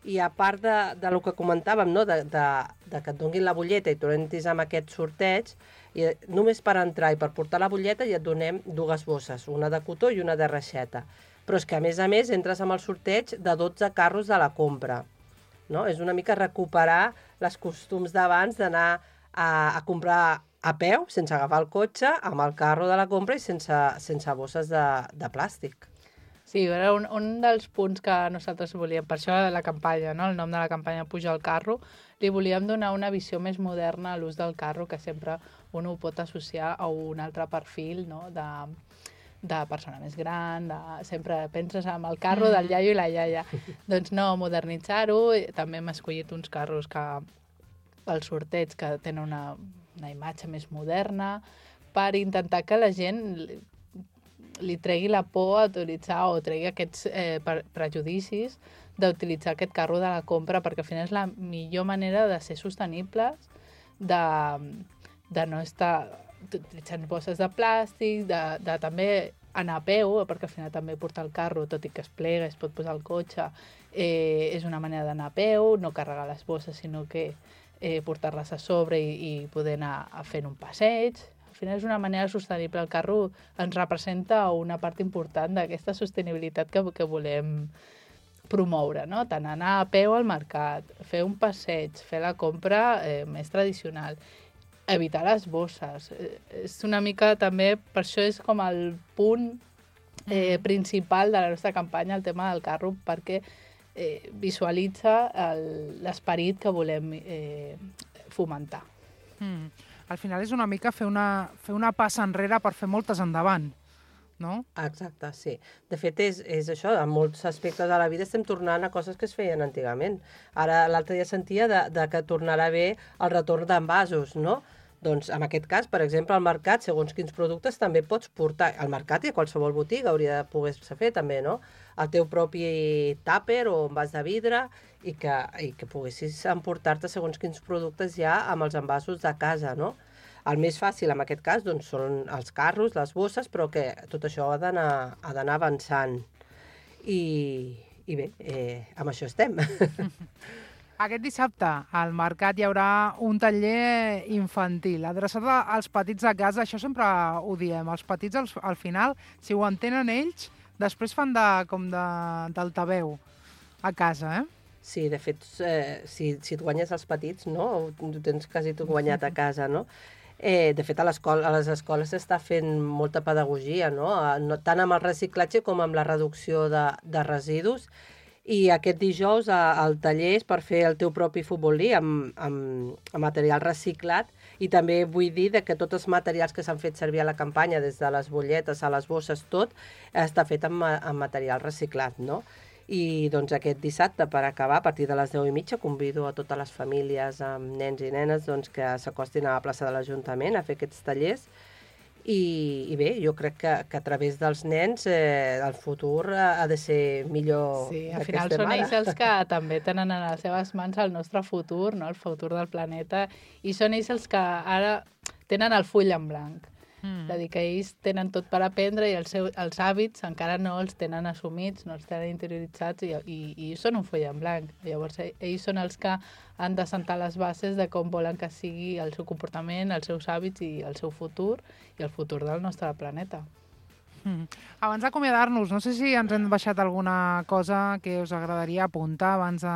i a part de, de lo que comentàvem, no?, de, de, de que et donguin la butlleta i tu entris amb aquest sorteig, i només per entrar i per portar la butlleta ja et donem dues bosses, una de cotó i una de reixeta. Però és que, a més a més, entres amb el sorteig de dotze carros de la compra. No? És una mica recuperar les costums d'abans d'anar a, a comprar a peu, sense agafar el cotxe, amb el carro de la compra i sense, sense bosses de, de plàstic. Sí, era un, un dels punts que nosaltres volíem, per això la campanya, no? El nom de la campanya Puja al carro, li volíem donar una visió més moderna a l'ús del carro, que sempre un ho pot associar a un altre perfil, no?, de, de persona més gran, de, sempre penses en el carro del iaio i la iaia. Doncs no, modernitzar-ho, també hem escollit uns carros que el sorteig que tenen una, una imatge més moderna, per intentar que la gent li, li tregui la por a utilitzar o tregui aquests eh, prejudicis d'utilitzar aquest carro de la compra, perquè al final és la millor manera de ser sostenibles, de, de no estar utilitzant bosses de plàstic, de, de també anar a peu, perquè al final també portar el carro, tot i que es plega, es pot posar el cotxe, eh, és una manera d'anar a peu, no carregar les bosses, sinó que eh, portar-les a sobre i, i poder anar a fer un passeig. Al final és una manera sostenible. El carro ens representa una part important d'aquesta sostenibilitat que, que volem promoure, no? Tant anar a peu al mercat, fer un passeig, fer la compra eh, més tradicional, evitar les bosses. Eh, és una mica també, per això és com el punt eh, principal de la nostra campanya, el tema del carro, perquè eh, visualitza l'esperit que volem eh, fomentar. Mm. Al final és una mica fer una, fer una passa enrere per fer moltes endavant, no? Exacte, sí. De fet, és, és això, en molts aspectes de la vida estem tornant a coses que es feien antigament. Ara, l'altre dia sentia de, de que tornarà bé el retorn d'envasos, no? Doncs, en aquest cas, per exemple, al mercat, segons quins productes, també pots portar al mercat i a qualsevol botiga hauria de poder-se fer, també, no? El teu propi tàper o envàs de vidre i que, i que poguessis emportar-te segons quins productes ja amb els envasos de casa, no? El més fàcil, en aquest cas, doncs, són els carros, les bosses, però que tot això ha d'anar ha d'anar avançant. I, i bé, eh, amb això estem. Aquest dissabte al mercat hi haurà un taller infantil adreçat als petits de casa. Això sempre ho diem. Els petits, al, al final, si ho entenen ells, després fan de, com de, d'altaveu a casa, eh? Sí, de fet, eh, si, si et guanyes els petits, no? Ho tens quasi tot guanyat a casa, no? Eh, de fet, a, a les escoles s'està fent molta pedagogia, no? no? Tant amb el reciclatge com amb la reducció de, de residus. I aquest dijous el taller és per fer el teu propi futbolí amb, amb, amb material reciclat, i també vull dir que tots els materials que s'han fet servir a la campanya, des de les butlletes a les bosses, tot, està fet amb, amb material reciclat, no? I doncs aquest dissabte, per acabar, a partir de les deu i mitja, convido a totes les famílies amb nens i nenes doncs, que s'acostin a la plaça de l'Ajuntament a fer aquests tallers. I, i bé, jo crec que, que a través dels nens eh, el futur ha de ser millor. Sí, al final són ells els que també tenen en les seves mans el nostre futur, no? El futur del planeta, i són ells els que ara tenen el full en blanc. Mm. És a dir, que ells tenen tot per aprendre i el seu, els hàbits encara no els tenen assumits, no els tenen interioritzats, i, i, i són un full en blanc. Llavors, ells són els que han de sentar les bases de com volen que sigui el seu comportament, els seus hàbits i el seu futur, i el futur del nostre planeta. Mm. Abans d'acomiadar-nos, no sé si ens hem baixat alguna cosa que us agradaria apuntar abans de...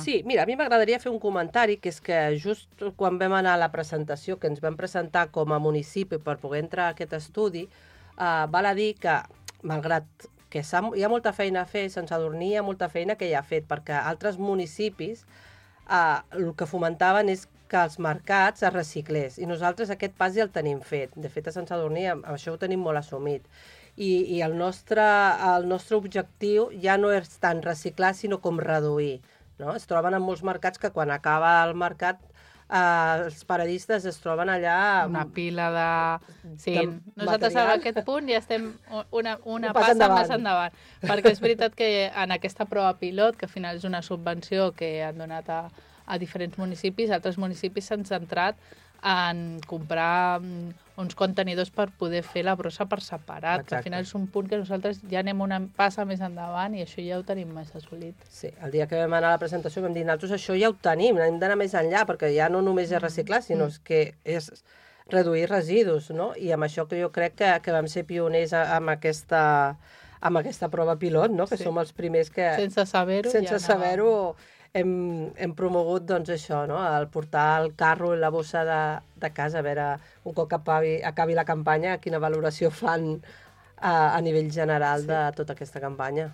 Sí, mira, a mi m'agradaria fer un comentari, que és que just quan vam anar a la presentació, que ens vam presentar com a municipi per poder entrar a aquest estudi, eh, val a dir que, malgrat que hi ha molta feina a fer, Sant Sadurní hi ha molta feina que ja ha fet, perquè altres municipis eh, el que fomentaven és que els mercats es reciclés, i nosaltres aquest pas ja el tenim fet. De fet, a Sant Sadurní això ho tenim molt assumit. I, i el, nostre, el nostre objectiu ja no és tant reciclar, sinó com reduir, no? Es troben en molts mercats que quan acaba el mercat eh, els paradistes es troben allà... Una pila de... Sí, de nosaltres material. A aquest punt ja estem una, una passa endavant. més endavant. Perquè és veritat que en aquesta prova pilot, que al final és una subvenció que han donat a, a diferents municipis, altres municipis s'han centrat en comprar uns contenidors per poder fer la brossa per separat, Exacte. Que al final és un punt que nosaltres ja anem una passa més endavant i això ja ho tenim més assolit. Sí, el dia que vam anar a la presentació vam dir, nosaltres això ja ho tenim, hem d'anar més enllà, perquè ja no només és reciclar, sinó mm. que és reduir residus, no? I amb això que jo crec que, que vam ser pioners amb aquesta, amb aquesta prova pilot, no? Que sí. Som els primers que... Sense saber-ho. Sense ja saber-ho... Hem, hem promogut doncs, això, no? El portar el carro i la bossa de, de casa, a veure, un cop acabi, acabi la campanya, quina valoració fan a, a nivell general sí. de tota aquesta campanya.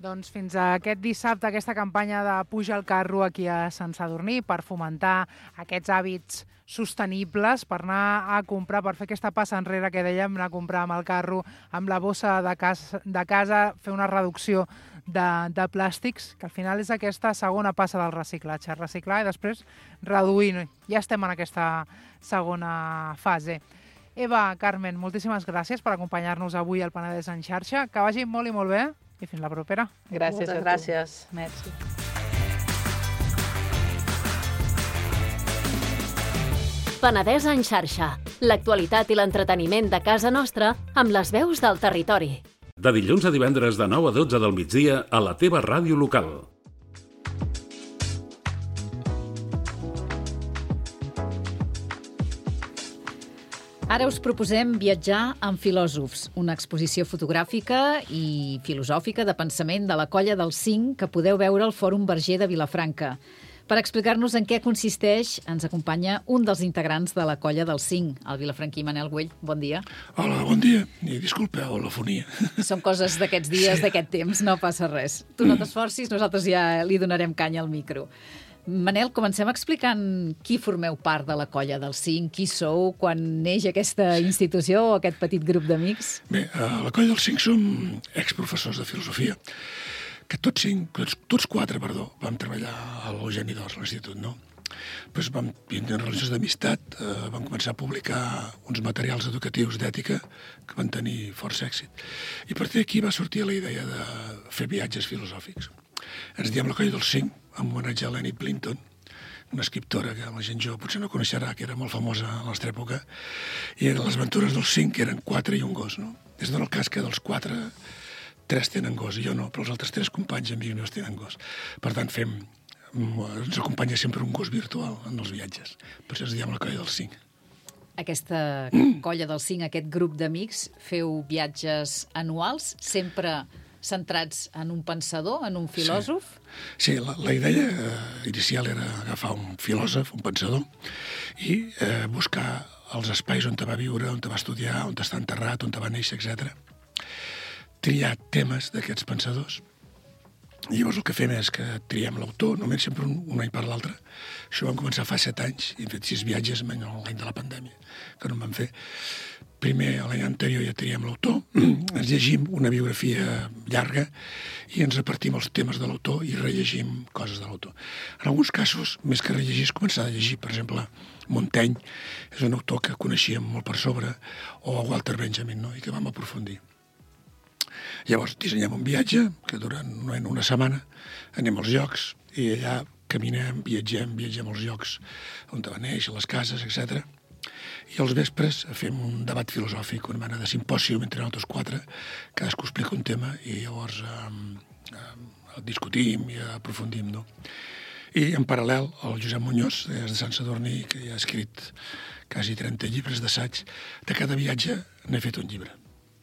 Doncs fins a aquest dissabte, aquesta campanya de Puja el carro aquí a Sant Sadurní per fomentar aquests hàbits sostenibles, per anar a comprar, per fer aquesta passa enrere que dèiem, anar a comprar amb el carro, amb la bossa de casa, de casa fer una reducció de, de plàstics, que al final és aquesta segona passa del reciclatge, reciclar i després reduir. Ja estem en aquesta segona fase. Eva, Carmen, moltíssimes gràcies per acompanyar-nos avui al Penedès en xarxa. Que vagi molt i molt bé i fins la propera. Gràcies. Moltes gràcies. Merci. Penedès en xarxa. L'actualitat i l'entreteniment de casa nostra amb les veus del territori. De dilluns a divendres de nou a dotze del migdia a la teva ràdio local. Ara us proposem viatjar amb filòsofs, una exposició fotogràfica i filosòfica de pensament de la Colla dels Cinc que podeu veure al Fòrum Verger de Vilafranca. Per explicar-nos en què consisteix, ens acompanya un dels integrants de la colla del cinc, el vilafranquí Manel Güell. Bon dia. Hola, bon dia. I disculpeu la fonia. Són coses d'aquests dies, sí. d'aquest temps, no passa res. Tu no t'esforcis, nosaltres ja li donarem canya al micro. Manel, comencem explicant qui formeu part de la colla del cinc, qui sou, quan neix aquesta institució o aquest petit grup d'amics? Bé, a la colla del cinc som exprofessors de filosofia, que tots cinc, tots, tots quatre, perdó, vam treballar a l'Eugeni d'Ors, a l'institut, no? Després vam tindre relacions d'amistat, eh, vam començar a publicar uns materials educatius d'ètica que van tenir força èxit. I a partir d'aquí va sortir la idea de fer viatges filosòfics. Ens diem la colla dels cinc, en homenatge a Lenny Blinton, una escriptora que la gent jove potser no coneixerà, que era molt famosa a la nostra època, i eren les aventures dels cinc, que eren quatre i un gos, no? Es dona el cas que dels quatre, tres tenen gos, jo no, però els altres tres companys amics meus tenen gos. Per tant, fem, ens acompanya sempre un gos virtual en els viatges. Per això ens diem la colla dels cinc. Aquesta colla dels cinc, aquest grup d'amics, feu viatges anuals, sempre centrats en un pensador, en un filòsof? Sí, sí la, la idea eh, inicial era agafar un filòsof, un pensador, i eh, buscar els espais on te va viure, on te va estudiar, on està enterrat, on te va néixer, etcètera. Triar temes d'aquests pensadors. I llavors el que fem és que triem l'autor, només sempre un, un any per l'altre. Això vam començar fa set anys, i hem fet sis viatges l'any de la pandèmia, que no en vam fer. Primer, l'any anterior ja triem l'autor, ens llegim una biografia llarga i ens repartim els temes de l'autor i rellegim coses de l'autor. En alguns casos, més que rellegir, és començar a llegir. Per exemple, Montaigne és un autor que coneixíem molt per sobre, o Walter Benjamin, no? I que vam aprofundir. Llavors, dissenyem un viatge que dura una setmana, anem als llocs i allà caminem, viatgem, viatgem als llocs on va néixer, les cases, etcètera. I als vespres fem un debat filosòfic, una mena de simpòsium entre nosaltres quatre, cadascú explica un tema i llavors eh, eh, discutim i aprofundim, no? I en paral·lel, el Josep Muñoz, és de Sant Sadurní, que ja ha escrit quasi trenta llibres d'assaig, de cada viatge n'he fet un llibre.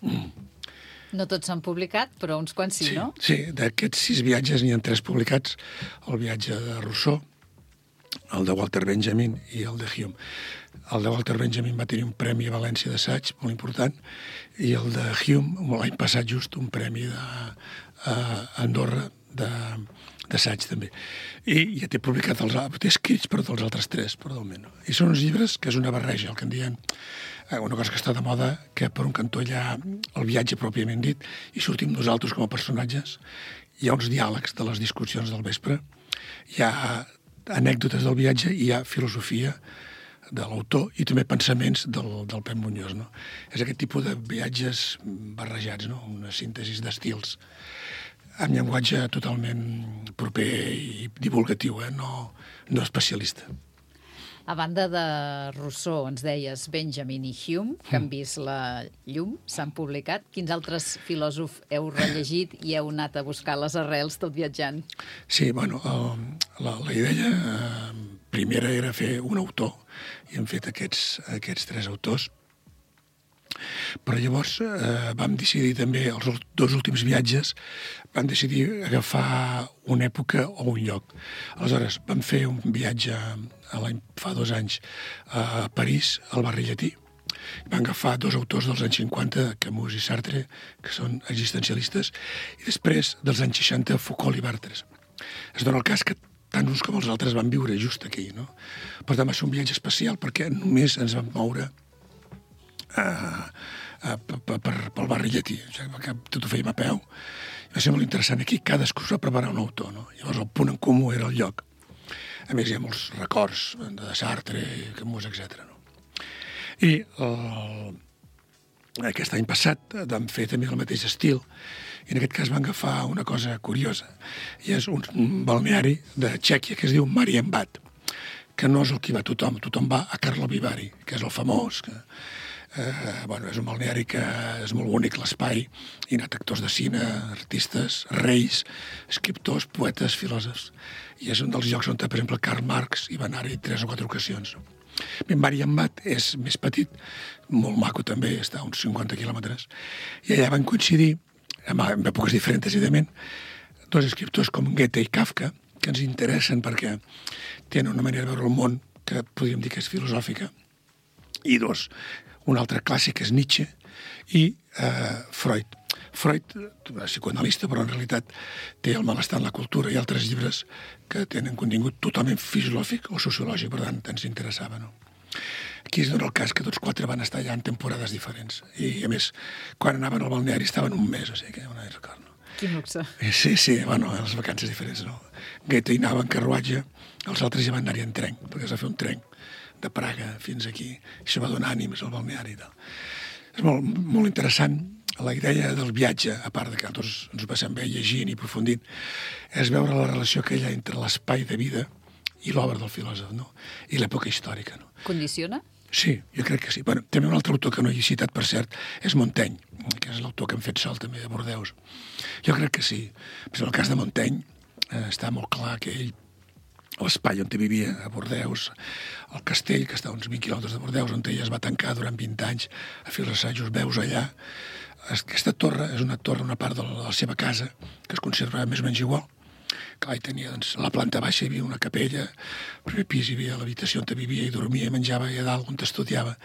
Mm. No tots s'han publicat, però uns quants sí, sí no? Sí, d'aquests sis viatges n'hi ha tres publicats, el viatge de Rousseau, el de Walter Benjamin i el de Hume. El de Walter Benjamin va tenir un premi a València d'assaig, molt important, i el de Hume, l'any passat just, un premi d'Andorra d'assaig, també. I ja té publicat, els, té escrits per tots els altres tres, però almenys. I són uns llibres que és una barreja, el que en diuen, una cosa que està de moda, que per un cantó hi ha el viatge pròpiament dit, i sortim nosaltres com a personatges, hi ha uns diàlegs de les discussions del vespre, hi ha anècdotes del viatge i hi ha filosofia de l'autor i també pensaments del, del Pep Muñoz, no? És aquest tipus de viatges barrejats, no? Una síntesi d'estils amb llenguatge totalment proper i divulgatiu, eh? no, no especialista. A banda de Rousseau, ens deies Benjamin i Hume, que han vist la llum, s'han publicat. Quins altres filòsofs heu rellegit i heu anat a buscar les arrels tot viatjant? Sí, bueno, el, la, la idea eh, primera era fer un autor, i hem fet aquests, aquests tres autors. Però llavors eh, vam decidir també, els dos últims viatges, vam decidir agafar una època o un lloc. Aleshores, vam fer un viatge fa dos anys a París, al barri llatí. Vam agafar dos autors dels anys cinquanta, Camus i Sartre, que són existencialistes, i després, dels anys seixanta, Foucault i Barthes. Es dona el cas que tant uns com els altres van viure just aquí, no? Per tant, va ser un viatge especial perquè només ens vam moure Uh, uh, per, per, pel barri llatí, o sigui, que tot ho fèiem a peu. Va ser molt interessant. Aquí cadascú es va preparar un autor, no? Llavors el punt en comú era el lloc. A més, hi ha molts records de Sartre, Camus, etcètera. No? I el, aquest any passat vam fer també el mateix estil, i en aquest cas vam agafar una cosa curiosa, i és un, un balneari de Txèquia que es diu Marienbad, que no és el que va tothom, tothom va a Karlovy Vary, que és el famós, que Eh, bueno, és un balneari que és molt bonic, l'espai, hi ha anat actors de cine, artistes, reis, escriptors, poetes, filòsofs. I és un dels llocs on, per exemple, Karl Marx hi va anar-hi tres o quatre ocasions. Bé, Marienbad és més petit, molt maco també, està a uns cinquanta quilòmetres, i allà van coincidir, en èpoques diferents, evidentment, dos escriptors com Goethe i Kafka, que ens interessen perquè tenen una manera de veure el món que podríem dir que és filosòfica, i dos, un altre clàssic és Nietzsche i eh, Freud. Freud, psicoanalista, però en realitat té El malestar en la cultura i altres llibres que tenen contingut totalment fisiològic o sociològic, per tant, ens interessava, no? Aquí es dona el cas que tots quatre van estar allà en temporades diferents. I, a més, quan anaven al balneari estaven un mes, o sigui que una record, no? Quin luxe. Sí, sí, bueno, les vacances diferents, no? Goethe hi anava en carruatge, els altres ja van anar-hi en tren, perquè es va fer un tren de Praga fins aquí, i això va donar ànims al balneari. No? És molt, molt interessant. La idea del viatge, a part de que nosaltres ens ho passem bé llegint i aprofundint, és veure la relació que hi ha entre l'espai de vida i l'obra del filòsof, no? I l'època històrica, no? Condiciona? Sí, jo crec que sí. Bueno, també un altre autor que no he citat, per cert, és Montaigne, que és l'autor que hem fet sol també de Bordeus. Jo crec que sí. En el cas de Montaigne eh, està molt clar que ell, l'espai on vivia a Bordeus, el castell, que està a uns vint quilòmetres de Bordeus, on ell es va tancar durant vint anys a fer els assajos, veus allà. Aquesta torre és una torre, una part de la, de la seva casa, que es conserva més o menys igual. Clar, hi tenia, doncs, a la planta baixa hi havia una capella, al primer pis hi havia l'habitació on vivia i dormia i menjava, i a dalt on estudiava.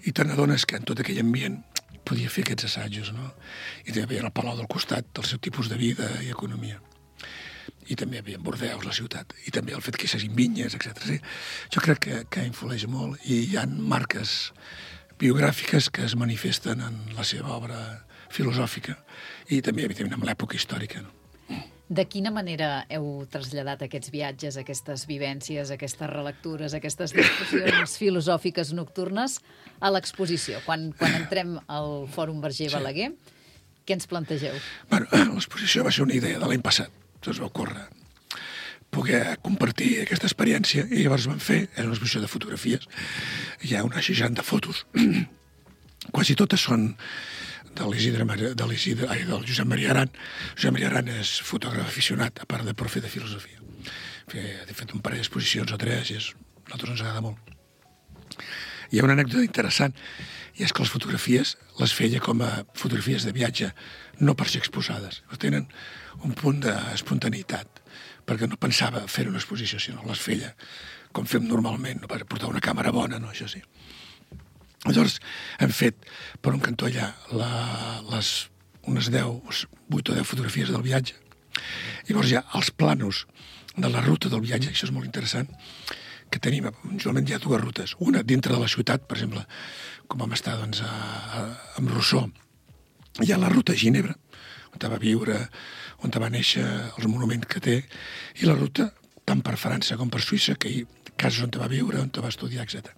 I te n'adones que en tot aquell ambient podia fer aquests assajos, no? I també hi havia el palau del costat, del seu tipus de vida i economia. I també hi havia Bordeus, la ciutat, i també el fet que hi hagin vinyes, etcètera. Sí, jo crec que, que influeix molt, i hi ha marques biogràfiques que es manifesten en la seva obra filosòfica i també, evidentment, en l'època històrica. No? De quina manera heu traslladat aquests viatges, aquestes vivències, aquestes relectures, aquestes discussions filosòfiques nocturnes a l'exposició? Quan, quan entrem al Fòrum Verger Balaguer, sí. Què ens plantegeu? Bueno, l'exposició va ser una idea de l'any passat. Ens va ocórrer poder compartir aquesta experiència i llavors vam fer, és una exposició de fotografies, hi ha unes seixanta fotos, quasi totes són de l'Isidre, de l'Isidre, ai, del Josep Maria Aran. Josep Maria Aran és fotògraf aficionat, a part de profe de filosofia. Ha fet un parell d'exposicions o tres i és, a nosaltres ens agrada molt. Hi ha una anècdota interessant, i és que les fotografies les feia com a fotografies de viatge, no per ser exposades. Tenen un punt d'espontaneïtat, perquè no pensava fer una exposició, sinó les feia com fem normalment, no per portar una càmera bona, no, això sí. Llavors hem fet per un cantó allà la, les, unes deu, vuit o deu fotografies del viatge. Llavors hi ha els planos de la ruta del viatge, això és molt interessant, que tenim, usualment hi ha dues rutes. Una dintre de la ciutat, per exemple, com vam estar doncs, a, a, amb Rousseau. Hi ha la ruta a Ginebra, on va viure, on va néixer, els monuments que té, i la ruta tant per França com per Suïssa, que hi ha casos on va viure, on va estudiar, etcètera.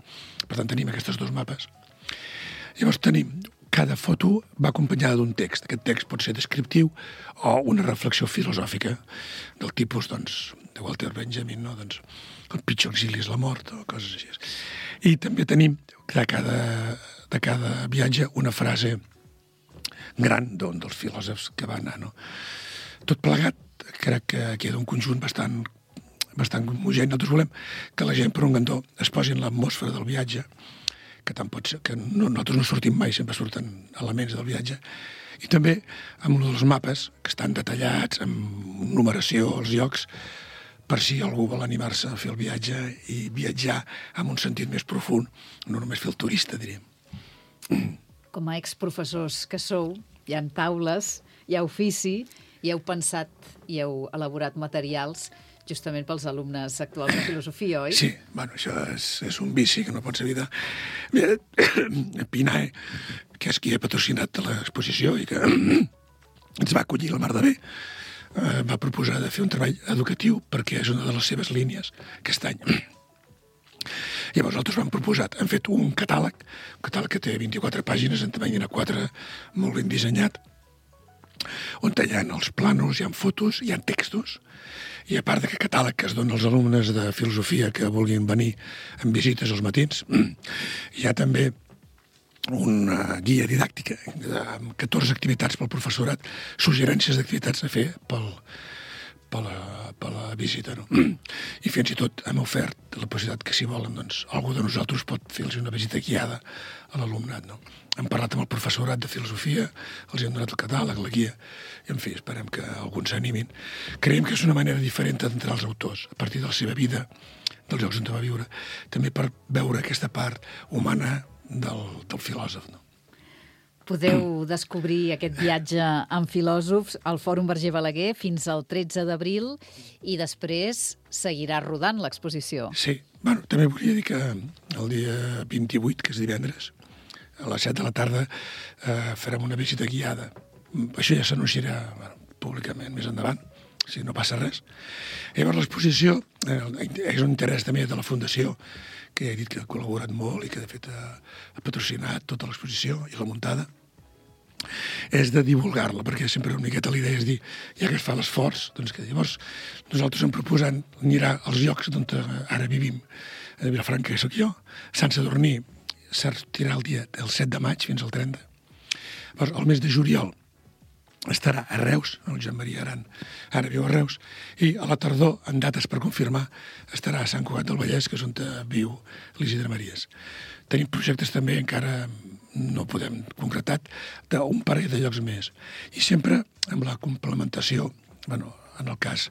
Per tant, tenim aquests dos mapes. Llavors tenim, cada foto va acompanyada d'un text. Aquest text pot ser descriptiu o una reflexió filosòfica del tipus, doncs, de Walter Benjamin, no? Doncs, el pitjor exili és la mort, o coses així. I també tenim de cada, de cada viatge una frase gran d'un dels filòsofs que va anar, no? Tot plegat, crec que queda un conjunt bastant, bastant homogeni. Nosaltres volem que la gent, per un cantó, es posi en l'atmosfera del viatge, que tant pot ser, que no, nosaltres no sortim mai, sempre surten elements del viatge, i també amb un dels mapes, que estan detallats, amb numeració, els llocs, per si algú vol animar-se a fer el viatge i viatjar amb un sentit més profund, no només fer el turista, diríem. Com a exprofessors que sou, hi ha taules, hi ha ofici, i heu pensat i heu elaborat materials justament pels alumnes actuals de filosofia, oi? Sí, bueno, això és, és un vici que no pots evitar. Mira, Pinae, que és qui ha patrocinat l'exposició i que ens va acollir la mar de bé, eh, va proposar de fer un treball educatiu perquè és una de les seves línies aquest any. Llavors nosaltres vam proposar, hem fet un catàleg, un catàleg que té vint-i-quatre pàgines en tamany A quatre, molt ben dissenyat, on hi ha els plànols, hi ha fotos, hi ha textos, i a part d'aquest catàleg que es dona als alumnes de filosofia que vulguin venir en visites als matins, hi ha també una guia didàctica amb catorze activitats pel professorat, suggerències d'activitats a fer pel, per la, per la visita, no? I fins i tot hem ofert la possibilitat que, si volen, doncs, algú de nosaltres pot fer-los una visita guiada a l'alumnat, no? Hem parlat amb el professorat de filosofia, els hem donat el catàleg, la guia, i, en fi, esperem que alguns s'animin. Creiem que és una manera diferent d'entrar als autors, a partir de la seva vida, dels llocs on va viure, també per veure aquesta part humana del, del filòsof, no? Podeu descobrir aquest viatge amb filòsofs al Fòrum Verger Balaguer fins al tretze d'abril i després seguirà rodant l'exposició. Sí. Bueno, també volia dir que el dia vint-i-vuit, que és divendres, a les set de la tarda, eh, farem una visita guiada. Això ja s'anunciarà bueno, públicament més endavant, si no passa res. Llavors, l'exposició eh, és un interès també de la Fundació, que he dit que ha col·laborat molt i que, de fet, ha, ha patrocinat tota l'exposició i la muntada, és de divulgar-la, perquè sempre una miqueta la idea és dir, ja que es fa l'esforç, doncs que llavors nosaltres hem proposant anirà als llocs on ara vivim, a Vilafranca, que sóc jo, Sant Sadurní, sortirà el dia del set de maig fins al trenta. Llavors, el mes de juliol estarà a Reus, el Joan Maria Aran ara viu a Reus, i a la tardor, en dates per confirmar, estarà a Sant Cugat del Vallès, que és on viu l'Isidre Maries. Tenim projectes també encara no podem concretar, d'un parell de llocs més. I sempre amb la complementació, bueno, en el cas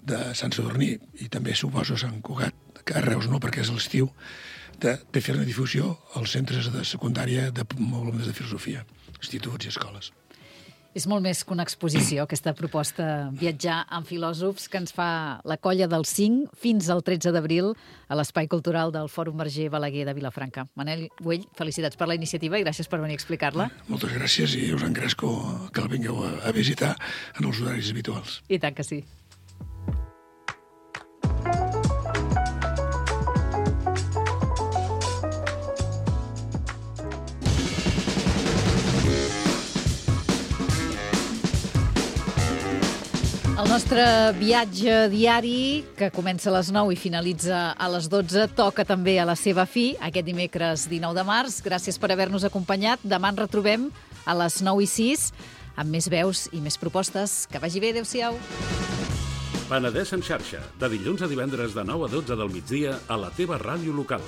de Sant Sadurní i també suposo Sant Cugat, que a Reus no, perquè és l'estiu, de, de fer una difusió als centres de secundària de alumnes de filosofia, instituts i escoles. És molt més que una exposició, aquesta proposta, viatjar amb filòsofs, que ens fa la colla del cinc fins al tretze d'abril a l'Espai Cultural del Fòrum Verger Balaguer de Vilafranca. Manel Güell, felicitats per la iniciativa i gràcies per venir a explicar-la. Moltes gràcies i us engresco que el vingueu a visitar en els horaris habituals. I tant que sí. El nostre viatge diari, que comença a les nou i finalitza a les dotze, toca també a la seva fi, aquest dimecres dinou de març. Gràcies per haver-nos acompanyat. Demà ens retrobem a les nou i sis amb més veus i més propostes. Que vagi bé, adéu-siau. Penedès en xarxa, de dilluns a divendres de nou a dotze del migdia a la teva ràdio local.